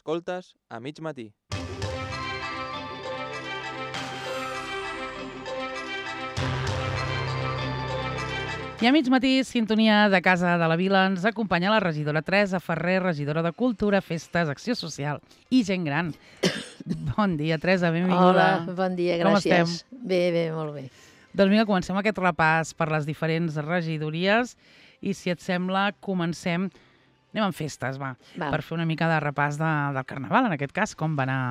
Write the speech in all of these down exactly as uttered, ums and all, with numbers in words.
Escoltes a mig matí. I a mig matí, sintonia de Casa de la Vila, ens acompanya la regidora Teresa Ferrer, regidora de Cultura, Festes, Acció Social i Gent Gran. Bon dia, Teresa, benvinguda. Hola, bon dia, gràcies. Com estem? Bé, bé, molt bé. Doncs vinga, comencem aquest repàs per les diferents regidories i, si et sembla, comencem... Anem amb festes, va, Va. per fer una mica de repàs de, del Carnaval, en aquest cas, com va anar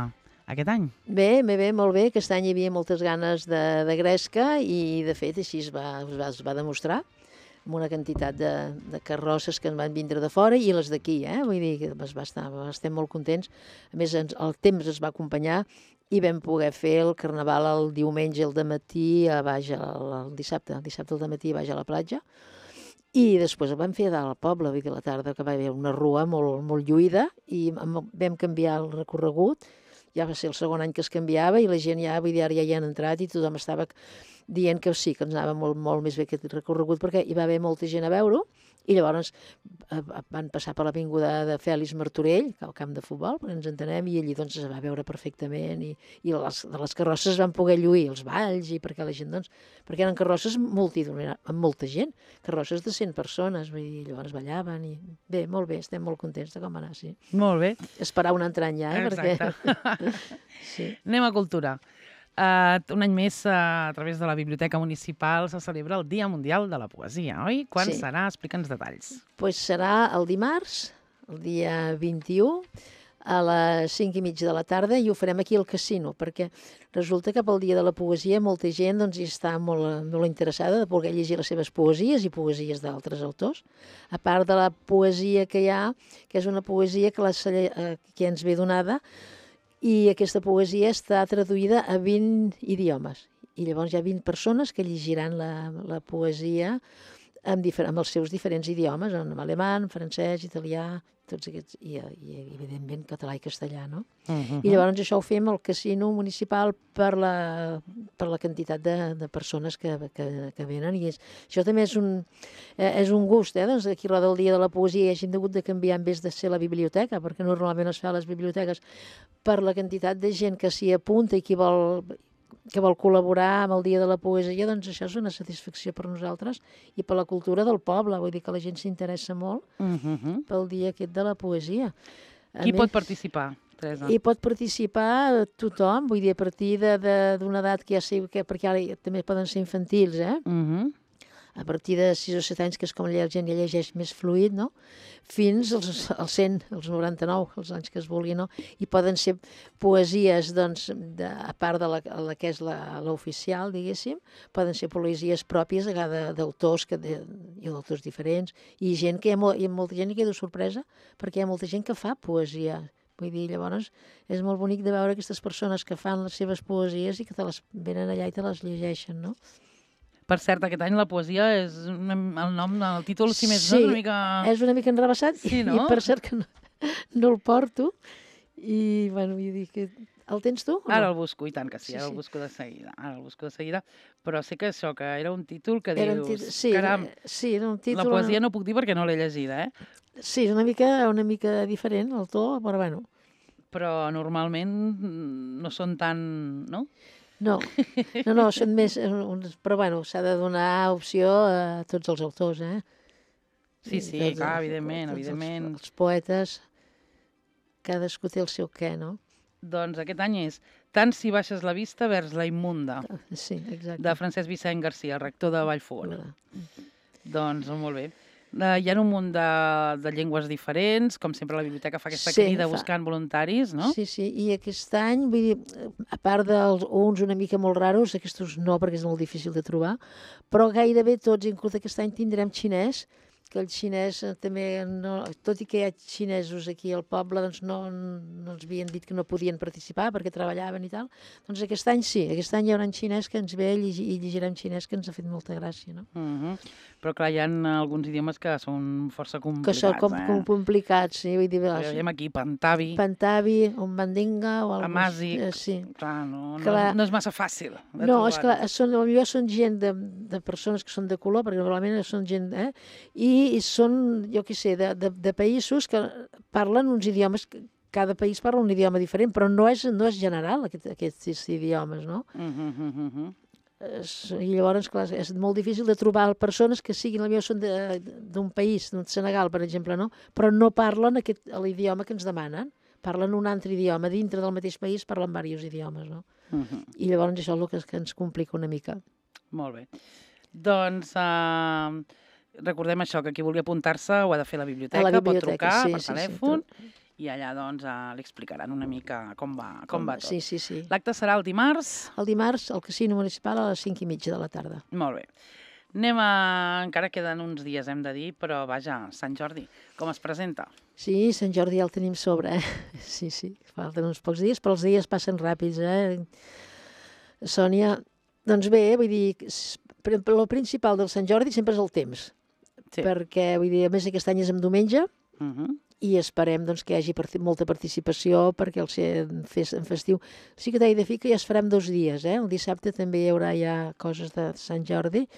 aquest any. Bé, bé, bé, molt bé. Aquest any hi havia moltes ganes de, de gresca i, de fet, així es va, es va, es va demostrar amb una quantitat de, de carrosses que en van vindre de fora i les d'aquí, eh? Vull dir que es va estar, estem molt contents. A més, ens, el temps es va acompanyar i vam poder fer el Carnaval el diumenge al dematí a baix, el, el dissabte, el dissabte al dematí a baix a la platja. I després el vam fer a dalt al poble, vull dir, a la tarda, que va haver una rua molt, molt lluïda i vam canviar el recorregut. Ja va ser el segon any que es canviava i la gent ja, vull dir, ara ja hi han entrat i tothom estava dient que sí, que ens anava molt, molt més bé aquest recorregut perquè hi va haver molta gent a veure-ho i llavors eh, van passar per l'avinguda de Fèlix Martorell, al camp de futbol, perquè ens entenem, i allí doncs es va veure perfectament i, i les, de les carrosses van poder lluir els balls i perquè la gent, doncs, perquè eren carrosses multitudinàries, amb molta gent, carrosses de cent persones, vull dir, llavors ballaven i bé, molt bé, estem molt contents de com va anar, sí. Molt bé. Esperar un altre any ja, eh? Exacte. Perquè... sí. Anem a cultura. Uh, un any més, uh, a través de la Biblioteca Municipal, se celebra el Dia Mundial de la Poesia, oi? Quan Sí. serà? Explica'ns detalls. Pues serà el dimarts, el dia vint-i-u, a les cinc i mitja de la tarda, i ho farem aquí al casino, perquè resulta que pel Dia de la Poesia molta gent doncs, hi està molt, molt interessada de poder llegir les seves poesies i poesies d'altres autors. A part de la poesia que hi ha, que és una poesia que, la, que ens ve donada, i aquesta poesia està traduïda a vint idiomes. I llavors hi ha vint persones que llegiran la, la poesia amb, difer amb els seus diferents idiomes, en alemany, francès, italià, tots aquests, i, i evidentment català i castellà, no? Uh-huh. I llavors això ho fem al casino municipal per la, per la quantitat de, de persones que, que, que venen. I és, això també és un, eh, és un gust, eh? Doncs aquí a del Dia de la Poesia hagin hagut de canviar en vez de ser la biblioteca, perquè normalment es fa a les biblioteques, per la quantitat de gent que s'hi apunta i qui vol que vol col·laborar amb el Dia de la Poesia, doncs això és una satisfacció per nosaltres i per la cultura del poble. Vull dir que la gent s'interessa molt Uh-huh. pel dia aquest de la poesia. A Qui més, pot participar, Teresa? hi pot participar tothom, vull dir, a partir d'una edat que ja sé, que, perquè ara també poden ser infantils, eh? Uh-huh. A partir de sis o set anys, que és com la gent ja llegeix més fluid, no? Fins als, als cent, als noranta-nou, els anys que es vulgui, no? I poden ser poesies, doncs, de, a part de la, la que és l'oficial, diguéssim, poden ser poesies pròpies d'autors que de, i d'autors diferents, i gent que hi ha, molt, hi ha molta gent que queda sorpresa, perquè hi ha molta gent que fa poesia. Vull dir, llavors, és molt bonic de veure aquestes persones que fan les seves poesies i que te les venen allà i te les llegeixen, no? Per cert, aquest any la poesia és una, el nom, el títol, si més Sí, no, és una mica... és una mica enrebaçat, Sí, i, no? i per cert que no, no el porto, i, bueno, vull dir que... El tens tu? o Ara no? el busco, i tant que sí, Sí, ara el sí. busco de seguida, ara el busco de seguida, però sé que això, que era un títol que Era un dius, títol, sí, caram, sí, era un títol... la poesia no puc dir perquè no l'he llegida, eh? Sí, és una mica, una mica diferent el to, però bueno, Però normalment mm, no són tan, no? no, no, no, són més... eh, uns- Però bueno, s'ha de donar opció a tots els autors, eh? Sí, I sí, tots clar, els- evidentment, tots els- evidentment. Els poetes, cadascú té el seu què, no? Doncs aquest any és Tant si baixes la vista vers la immunda, Sí, exacte. de Francesc Vicent Garcia, rector de Vallfogona. Clar. Doncs molt bé. Uh, hi ha un munt de, de llengües diferents, com sempre la biblioteca fa aquesta Sí, crida fa- buscant voluntaris, no? Sí, sí, i aquest any, vull dir, a part dels uns una mica molt raros, aquests no, perquè és molt difícil de trobar, però gairebé tots, inclús aquest any tindrem xinès, que el xinès eh, també, no, tot i que hi ha xinesos aquí al poble, doncs no, no ens havien dit que no podien participar perquè treballaven i tal, doncs aquest any sí, aquest any hi haurà en xinès que ens ve i, llegir, i llegirem xinès, que ens ha fet molta gràcia, no? Uh -huh. Però clar, hi ha alguns idiomes que són força Que complicats, són com, eh? com complicats, sí, vull dir, Perquè veiem aquí Pantabi, Pantabi, un mandinga o alguna Amàsic, eh, sí. clar, no, no, Clar. és, no és massa fàcil. de No, és trobar-ho. clar, són, potser són gent de, de persones que són de color, perquè normalment són gent... Eh? I, i són, jo què sé, de, de, de països que parlen uns idiomes que, cada país parla un idioma diferent, però no és, no és general aquest, aquests idiomes, no? Uh -huh, uh -huh. Es, I llavors, clar, és molt difícil de trobar persones que siguin, potser són d'un país, d'un Senegal, per exemple, no? Però no parlen aquest, l'idioma que ens demanen. Parlen un altre idioma. Dintre del mateix país parlen diversos idiomes, no? Uh -huh. I llavors això és el que, que ens complica una mica. Molt bé. Doncs uh, recordem això, que qui vulgui apuntar-se ho ha de fer a la biblioteca, a la biblioteca pot trucar sí, per sí, telèfon sí, i allà doncs uh, li explicaran una mica com va, com, com va tot. Sí, sí, sí. L'acte serà el dimarts? El dimarts al Casino Municipal a les cinc i mitja de la tarda. Molt bé. Anem a... Encara queden uns dies, hem de dir, però vaja, Sant Jordi, com es presenta? Sí, Sant Jordi ja el tenim sobre, eh? Sí, sí, falten uns pocs dies, però els dies passen ràpids, eh? Sònia, doncs bé, vull dir, el principal del Sant Jordi sempre és el temps, sí. Perquè, vull dir, a més aquest any és en diumenge, uh -huh. i esperem doncs, que hi hagi part molta participació perquè el ser en festiu. Sí que t'he de dir que ja es farem dos dies, eh? El dissabte també hi haurà ja coses de Sant Jordi,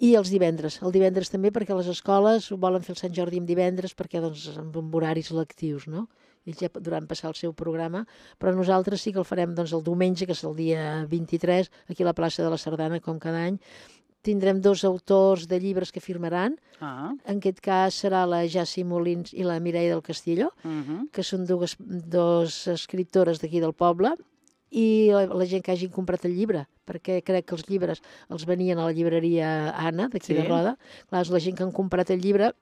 i els divendres. El divendres també perquè les escoles volen fer el Sant Jordi en divendres perquè doncs amb horaris lectius, no? Ells ja podran passar el seu programa, però nosaltres sí que el farem doncs, el diumenge, que és el dia vint-i-tres, aquí a la plaça de la Sardana, com cada any. Tindrem dos autors de llibres que firmaran. Ah. En aquest cas serà la Jassi Molins i la Mireia del Castillo, uh -huh. que són dues, dos escriptores d'aquí del poble, i la, la gent que hagin comprat el llibre, perquè crec que els llibres els venien a la llibreria Anna, d'aquí sí. de Roda. Clar, la gent que han comprat el llibre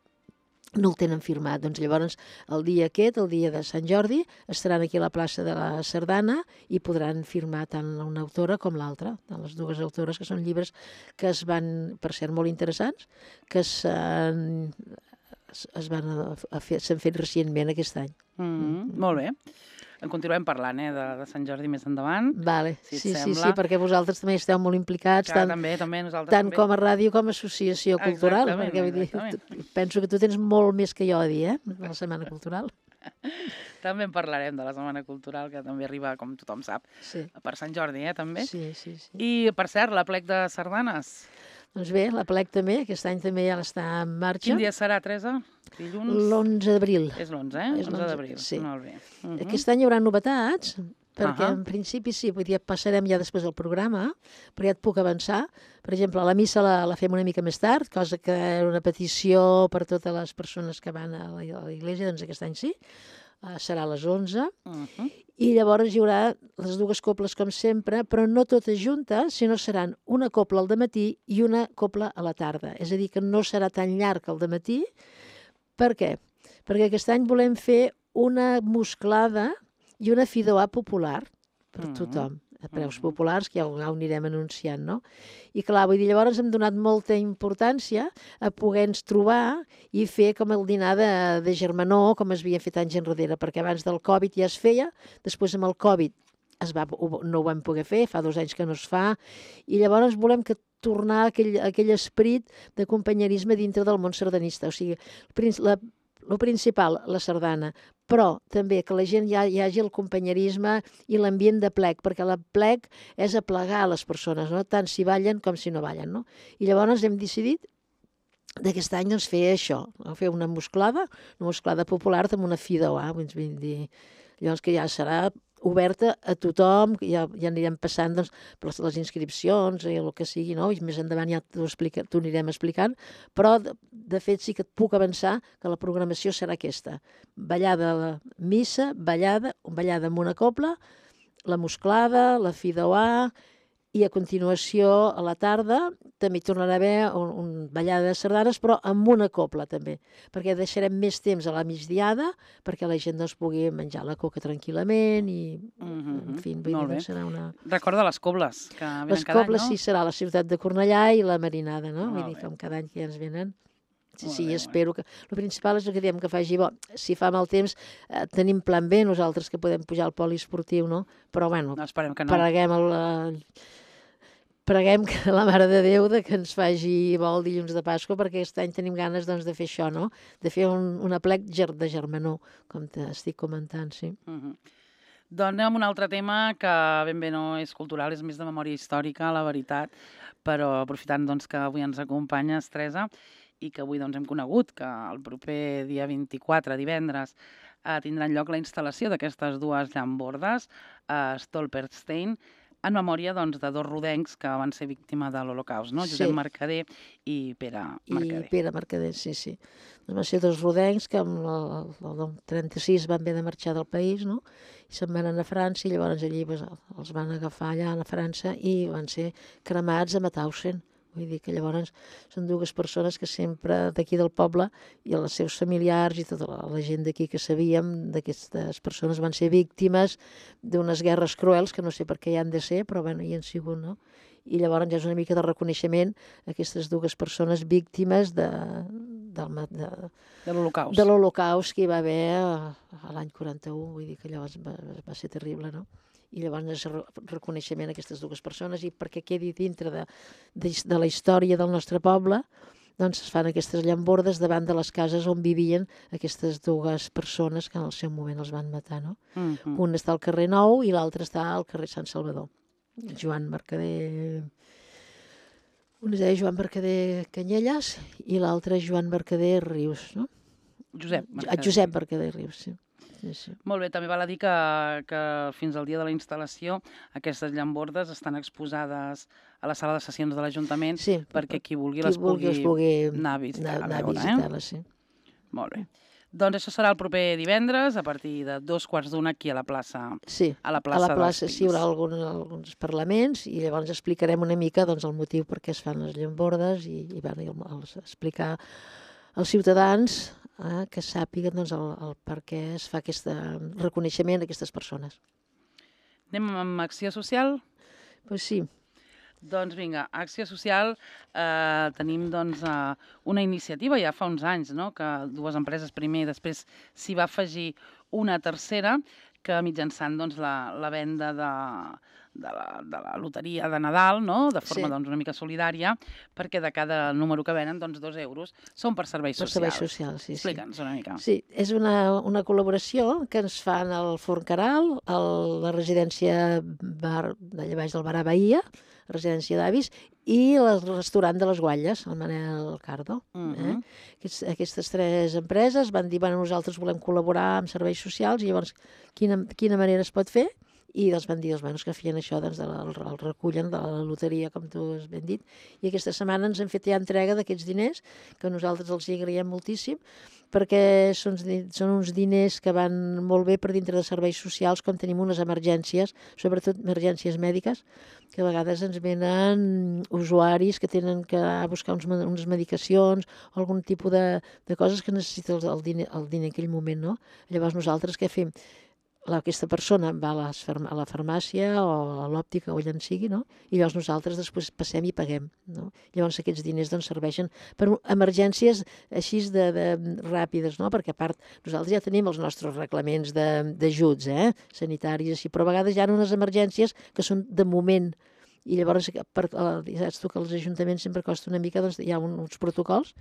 no el tenen firmat. Doncs llavors el dia aquest, el dia de Sant Jordi, estaran aquí a la plaça de la Sardana i podran firmar tant una autora com l'altra, tant les dues autores, que són llibres que es van, per ser molt interessants, que s'han es van a, a fer, s'han fet recentment aquest any. Mm -hmm. Mm. Molt bé. En continuem parlant, eh, de, de Sant Jordi més endavant. Vale. Si sí, sí, sí, perquè vosaltres també esteu molt implicats, Clar, tant, també, també, nosaltres tant també. com a ràdio com a associació cultural. Perquè, vull dir, penso que tu tens molt més que jo a dir, eh, de la Setmana Cultural. També en parlarem de la Setmana Cultural, que també arriba, com tothom sap, sí. per Sant Jordi, eh, també. Sí, sí, sí. I, per cert, l'Aplec de Sardanes. Doncs bé, l'Aplec també, aquest any també ja està en marxa. Quin dia serà, Teresa? Dilluns? L'onze d'abril. És l'onze, eh? onze d'abril. Sí. Molt bé. Uh -huh. Aquest any hi haurà novetats, perquè uh -huh. en principi sí, vull dir, passarem ja després del programa, però ja et puc avançar. Per exemple, la missa la, la fem una mica més tard, cosa que era una petició per totes les persones que van a l'església, doncs aquest any sí. Uh, serà a les onze, uh -huh. i llavors hi haurà les dues coples com sempre, però no totes juntes, sinó seran una copla al dematí i una copla a la tarda. És a dir, que no serà tan llarg el dematí. Per què? Perquè aquest any volem fer una musclada i una fideuà popular per uh -huh. tothom, a preus uh -huh. populars, que ja ho, ja ho anirem anunciant, no? I clar, vull dir, llavors hem donat molta importància a poder-nos trobar i fer com el dinar de, de germanor, com es havia fet anys enrere, perquè abans del Covid ja es feia, després amb el Covid es va, no ho vam poder fer, fa dos anys que no es fa, i llavors volem que tornar a aquell, a aquell esperit de companyerisme dintre del món sardanista. O sigui, la, el principal, la sardana, però també que la gent hi, ha, hi hagi el companyerisme i l'ambient de plec, perquè la plec és aplegar les persones, no? Tant si ballen com si no ballen, no? I llavors hem decidit d'aquest any doncs, fer això, fer una musclada, una musclada popular amb una fideuà, vull dir, llavors que ja serà oberta a tothom, ja, ja anirem passant doncs, per les, les inscripcions i el que sigui, no? I més endavant ja t'ho anirem explicant, però de, de fet sí que et puc avançar que la programació serà aquesta. Ballada a la missa, ballada, ballada amb una copla, la musclada, la fideuà, i a continuació, a la tarda, també hi tornarà a haver un, un ballada de sardanes, però amb una copla també, perquè deixarem més temps a la migdiada, perquè la gent doncs, pugui menjar la coca tranquil·lament i, mm-hmm. en fi, vull dir, serà una... Recorda les cobles, que venen les cada cobles, any, no? Sí, serà la ciutat de Cornellà i la Marinada, no? Molt Vull dir, bé. com cada any que ja ens venen. Sí, Molt sí, bé, espero que... El principal és el que diem, que faci bo. Si fa mal temps, eh, tenim plan B, nosaltres que podem pujar al poliesportiu, no? Però, bueno, no, esperem que no. Preguem el... Preguem que la Mare de Déu de que ens faci bo el dilluns de Pasqua, perquè aquest any tenim ganes doncs, de fer això, no? De fer un, un aplec de germanor, com t'estic comentant, sí. Uh -huh. Doncs anem amb un altre tema que ben bé no és cultural, és més de memòria històrica, la veritat, però aprofitant doncs, que avui ens acompanyes, Teresa, i que avui doncs, hem conegut que el proper dia vint-i-quatre, divendres, eh, tindran lloc la instal·lació d'aquestes dues llambordes a Stolperstein, en memòria doncs, de dos rodencs que van ser víctimes de l'Holocaust, no? Josep Sí. Mercader i Pere Mercader. I Pere Mercader, sí, sí. Doncs van ser dos rodencs que amb el, el, el trenta-sis van haver de marxar del país, no? I se'n van anar a França i llavors allí pues, els van agafar allà a França i van ser cremats a Mauthausen. Vull dir que llavors són dues persones que sempre d'aquí del poble i els seus familiars i tota la, la gent d'aquí que sabíem d'aquestes persones van ser víctimes d'unes guerres cruels que no sé per què hi han de ser, però bueno, hi han sigut, no? I llavors ja és una mica de reconeixement a aquestes dues persones víctimes de, del, de, de l'Holocaust. De l'Holocaust que hi va haver a, a l'any quaranta-u, vull dir que llavors va, va ser terrible, no? I llavors és reconeixement a aquestes dues persones i perquè quedi dintre de, de, de la història del nostre poble, doncs es fan aquestes llambordes davant de les cases on vivien aquestes dues persones que en el seu moment els van matar, no? Mm-hmm. Un està al carrer Nou i l'altre està al carrer Sant Salvador. Joan Mercader... Un es deia Joan Mercader Canyelles i l'altre Joan Mercader Rius, no? Josep Mercader. Josep Mercader Rius, sí. Sí, sí. Molt bé, també val a dir que, que fins al dia de la instal·lació aquestes llambordes estan exposades a la sala de sessions de l'Ajuntament sí, perquè qui vulgui qui les pugui, vulgui, pugui anar a visitar. Anar, anar a veure, a visitar-les, eh? sí. Molt bé. Doncs això serà el proper divendres a partir de dos quarts d'una aquí a la plaça. Sí, a la plaça, a la plaça sí, hi haurà algun, alguns parlaments i llavors explicarem una mica doncs, el motiu per què es fan les llambordes i, i van els explicar als ciutadans eh, que sàpiguen doncs, el, el per què es fa aquest reconeixement a aquestes persones. Anem amb acció social? Doncs pues sí. Doncs vinga, Acció Social, eh, tenim doncs, eh, una iniciativa ja fa uns anys, no? Que dues empreses primer i després s'hi va afegir una tercera que mitjançant doncs, la, la venda de, de, la, de la loteria de Nadal, no? De forma sí. doncs, una mica solidària, perquè de cada número que venen, doncs, dos euros són per serveis per socials. serveis socials, sí. Explica'ns sí. una mica. Sí, és una, una col·laboració que ens fan el Forn Caral, el, la residència bar, d'allà baix del Bar a Bahia, residència d'avis, i el restaurant de les Guatlles, el Manel Cardo. Uh-huh. eh? Aquests, aquestes tres empreses van dir, bueno, nosaltres volem col·laborar amb serveis socials, i llavors quina, quina manera es pot fer? I els van dir, els manos que feien això, doncs, el, el recullen de la loteria, com tu has ben dit, i aquesta setmana ens han fet ja entrega d'aquests diners, que nosaltres els hi agraïm moltíssim, perquè són, són uns diners que van molt bé per dintre de serveis socials, quan tenim unes emergències, sobretot emergències mèdiques, que a vegades ens venen usuaris que tenen que anar a buscar uns, unes medicacions o algun tipus de, de coses que necessita el, el, diner, el diner en aquell moment, no? Llavors nosaltres què fem? Aquesta persona va a, les, a la farmàcia o a l'òptica o allà en sigui, no? I llavors nosaltres després passem i paguem, no? Llavors aquests diners doncs, serveixen per emergències així de, de ràpides, no? Perquè a part nosaltres ja tenim els nostres reglaments d'ajuts eh? sanitaris, així, però a vegades hi ha unes emergències que són de moment. I llavors, per, saps tu que els ajuntaments sempre costa una mica, doncs hi ha un, uns protocols,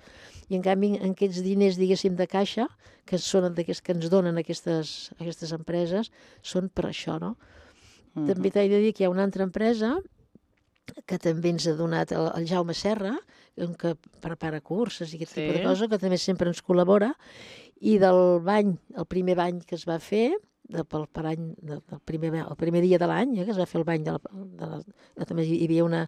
i en canvi en aquests diners, diguéssim, de caixa, que, són que ens donen aquestes, aquestes empreses, són per això, no? Uh-huh. També t'he de dir que hi ha una altra empresa que també ens ha donat el, el Jaume Serra, que prepara curses i aquest sí. tipus de cosa, que també sempre ens col·labora, i del bany, el primer bany que es va fer, de, pel, per any, de, del primer, el primer dia de l'any, eh, que es va fer el bany, de la, de la, de, també hi havia, una,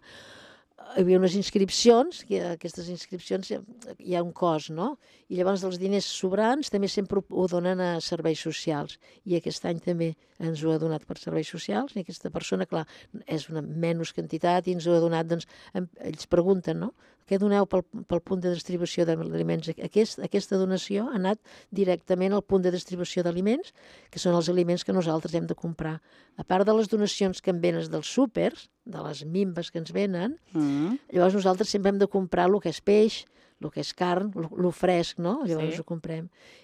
hi havia unes inscripcions, que aquestes inscripcions hi ha un cost, no? I llavors els diners sobrants també sempre ho donen a serveis socials, i aquest any també ens ho ha donat per serveis socials, i aquesta persona, clar, és una menys quantitat i ens ho ha donat, doncs, ells pregunten, no? Què doneu pel, pel punt de distribució d'aliments? Aquest, aquesta donació ha anat directament al punt de distribució d'aliments, que són els aliments que nosaltres hem de comprar. A part de les donacions que en venen dels súpers, de les mimbes que ens venen, mm. llavors nosaltres sempre hem de comprar el que és peix, el que és carn, el fresc, no? Llavors sí. ho comprem.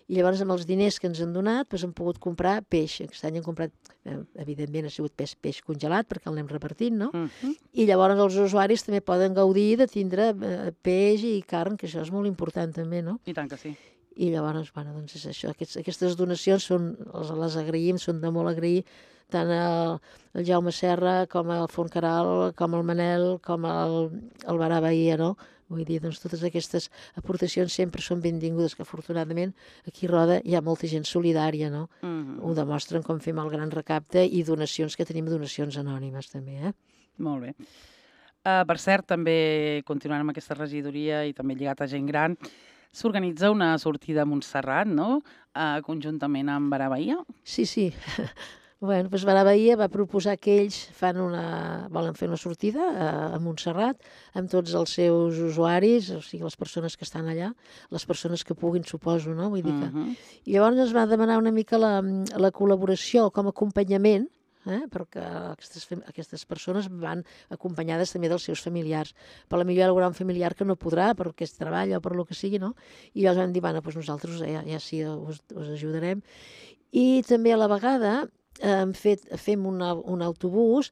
I llavors amb els diners que ens han donat doncs hem pogut comprar peix. Aquest any hem comprat, eh, evidentment ha sigut peix, peix congelat perquè el anem repartint, no? Uh-huh. I llavors els usuaris també poden gaudir de tindre eh, peix i carn, que això és molt important també, no? I tant que sí. I llavors, bueno, doncs és això. Aquests, aquestes donacions són, les, les agraïm, són de molt agrair tant el, el Jaume Serra com el Fontcaral, com el Manel, com el, el Barà Bahia, no? Vull dir, doncs totes aquestes aportacions sempre són benvingudes, que afortunadament aquí a Roda hi ha molta gent solidària, no? Mhm. Ho demostren com fem el gran recapte i donacions, que tenim donacions anònimes també, eh? Molt bé. Uh, per cert, també continuant amb aquesta regidoria i també lligat a gent gran, s'organitza una sortida a Montserrat, no? Uh, conjuntament amb Barà Bahia. Sí, sí. Bueno, doncs Barà Bahia va proposar que ells fan una, volen fer una sortida a, a Montserrat amb tots els seus usuaris, o sigui, les persones que estan allà, les persones que puguin, suposo, no? Vull dir que... Mhm. I llavors ens va demanar una mica la, la col·laboració com a acompanyament, eh? Perquè aquestes, fam- aquestes persones van acompanyades també dels seus familiars. Per la millor hi haurà un familiar que no podrà perquè es treballa o per lo que sigui, no? I llavors vam dir, bueno, doncs nosaltres ja, ja sí us, us ajudarem. I també a la vegada hem fet, fem una, un autobús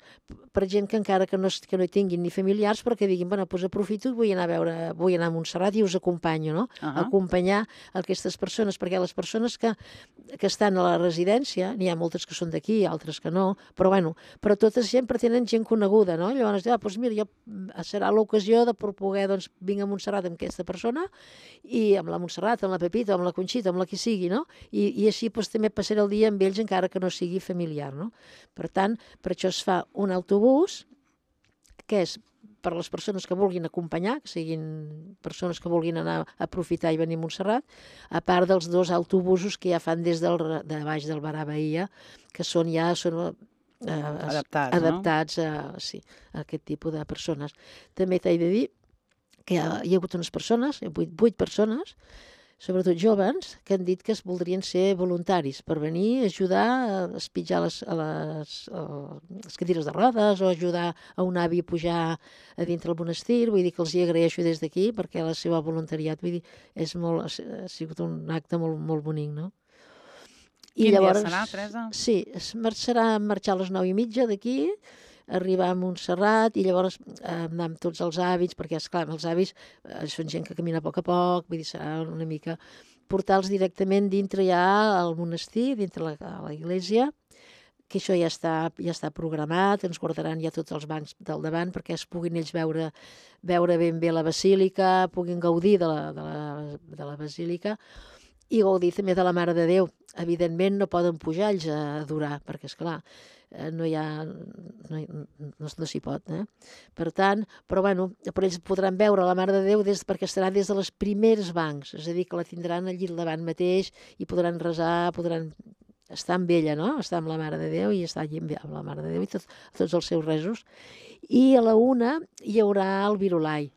per gent que encara que no, es- que no hi tinguin ni familiars, però que diguin, bueno, doncs aprofito, vull anar a veure, vull anar a Montserrat i us acompanyo, no? Ahà. Acompanyar aquestes persones, perquè les persones que, que estan a la residència, n'hi ha moltes que són d'aquí, altres que no, però bueno, però totes sempre tenen gent coneguda, no? Llavors, ah, doncs mira, jo, mm, serà l'ocasió de per poder, doncs, vinc a Montserrat amb aquesta persona i amb la Montserrat, amb la Pepita, amb la Conxita, amb la qui sigui, no? I, i així doncs, també passaré el dia amb ells encara que no sigui familiar, no? Per tant, per això es fa un autobús que és per les persones que vulguin acompanyar, que siguin persones que vulguin anar a aprofitar i venir a Montserrat, a part dels dos autobusos que ja fan des del, de baix del Barà Bahia, que són ja són, eh, Adaptats, no? adaptats a, sí, a aquest tipus de persones. També t'he de dir que hi ha, hi ha hagut unes persones, vuit, vuit persones, sobretot joves, que han dit que es voldrien ser voluntaris per venir a ajudar a espitjar les, a les, a les cadires de rodes o ajudar a un avi a pujar a dintre el monestir. Vull dir que els hi agraeixo des d'aquí perquè la seva voluntariat, vull dir, és molt, ha sigut un acte molt, molt bonic, no? Quin dia serà, Teresa? Sí, es marxarà, marxar a les nou i mitja d'aquí, arribar a Montserrat i llavors eh, anar amb tots els hàbits, perquè, esclar, els avis eh, són gent que camina a poc a poc, vull dir, serà una mica portar-los directament dintre ja al monestir, dintre la, a la iglesia, que això ja està, ja està programat, ens guardaran ja tots els bancs del davant perquè es puguin ells veure, veure ben bé la basílica, puguin gaudir de la, de la, de la basílica i gaudir també de la Mare de Déu. Evidentment no poden pujar ells a adorar, perquè, esclar, no hi ha, no, no, no s'hi pot, eh? Per tant, però bueno, però ells podran veure la Mare de Déu des, perquè estarà des de les primeres bancs, és a dir, que la tindran allí al davant mateix i podran resar, podran estar amb ella, no? Estar amb la Mare de Déu i estar allí amb la Mare de Déu i tot, tots els seus resos. I a la una hi haurà el virulai.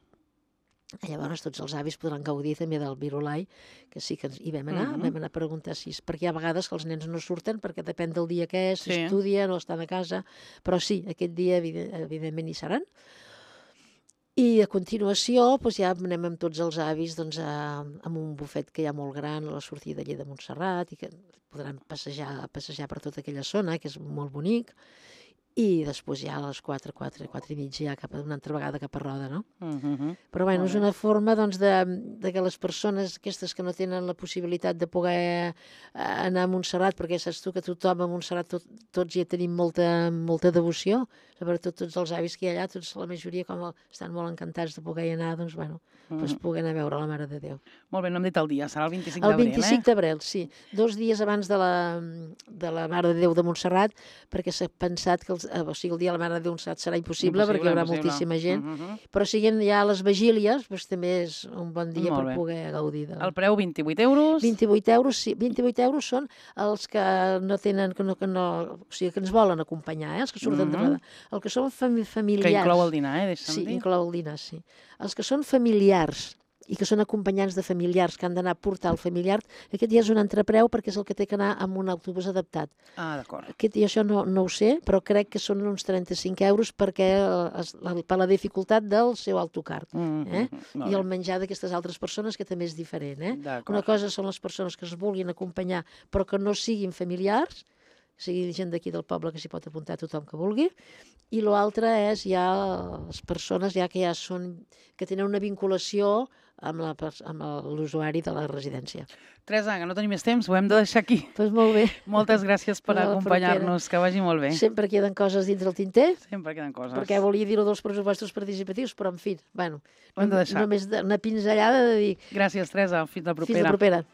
Llavors tots els avis podran gaudir també del virulai, que sí que hi vam anar, uh -huh. vam anar a preguntar si... Perquè hi ha vegades que els nens no surten perquè depèn del dia que és, Sí. s'estudien o estan a casa, però sí, aquest dia evident, evidentment hi seran. I a continuació doncs ja anem amb tots els avis doncs, a, amb un bufet que hi ha molt gran a la sortida allà de Montserrat i que podran passejar, passejar per tota aquella zona, que és molt bonic. I després ja a les quatre, quatre, quatre i mitja ja cap a una altra vegada cap a Roda, no? Uh -huh. Però bueno, Molt és bé. una forma doncs, de, de que les persones aquestes que no tenen la possibilitat de poder eh, anar a Montserrat, perquè saps tu que tothom a Montserrat tot, tots hi tenim molta, molta devoció, sobretot tots els avis que hi ha allà, tots la majoria com estan molt encantats de poder hi anar, doncs bueno, Uh -huh. doncs poder anar a veure la Mare de Déu. Molt bé, no hem dit el dia, serà el vint-i-cinc El d'abril, vint-i-cinc eh? d'abril, sí. Dos dies abans de la, de la Mare de Déu de Montserrat, perquè s'ha pensat que els, eh, o sigui, el dia de la Mare de Déu de Montserrat serà impossible, perquè hi haurà impossible. moltíssima gent, Uh -huh. però siguin ja les vigílies, doncs també és un bon dia Molt per bé. poder gaudir de... El preu, vint-i-vuit euros. vint-i-vuit euros, sí, vint-i-vuit euros són els que no tenen, que no, que no, o sigui, que ens volen acompanyar, eh, els que surten Mhm. de Roda. El que són fami familiars... Que inclou el dinar, eh? Deixa'm Sí, dir. inclou el dinar, sí. Els que són familiars i que són acompanyants de familiars que han d'anar a portar el familiar, aquest ja és un entrepreu perquè és el que té que anar amb un autobús adaptat. Ah, d'acord. Aquest, i això no, no ho sé, però crec que són uns trenta-cinc euros perquè es, la, per la dificultat del seu autocar. Mm Eh? -hmm. I el menjar d'aquestes altres persones, que també és diferent. Eh? D'acord. Una cosa són les persones que es vulguin acompanyar però que no siguin familiars, sigui gent d'aquí del poble que s'hi pot apuntar tothom que vulgui, i l'altre és ja les persones ja que ja són, que tenen una vinculació amb la pers- amb l'usuari de la residència. Teresa, que no tenim més temps, ho hem de deixar aquí. Doncs molt bé. Moltes gràcies per A la acompanyar-nos, que vagi molt bé. Sempre queden coses dins del tinter, Sempre queden coses. perquè volia dir-ho dels pressupostos participatius, però en fi, bueno, Ho hem de deixar. només de- una pinzellada de dir Gràcies, Teresa. Fins la propera. fins la propera.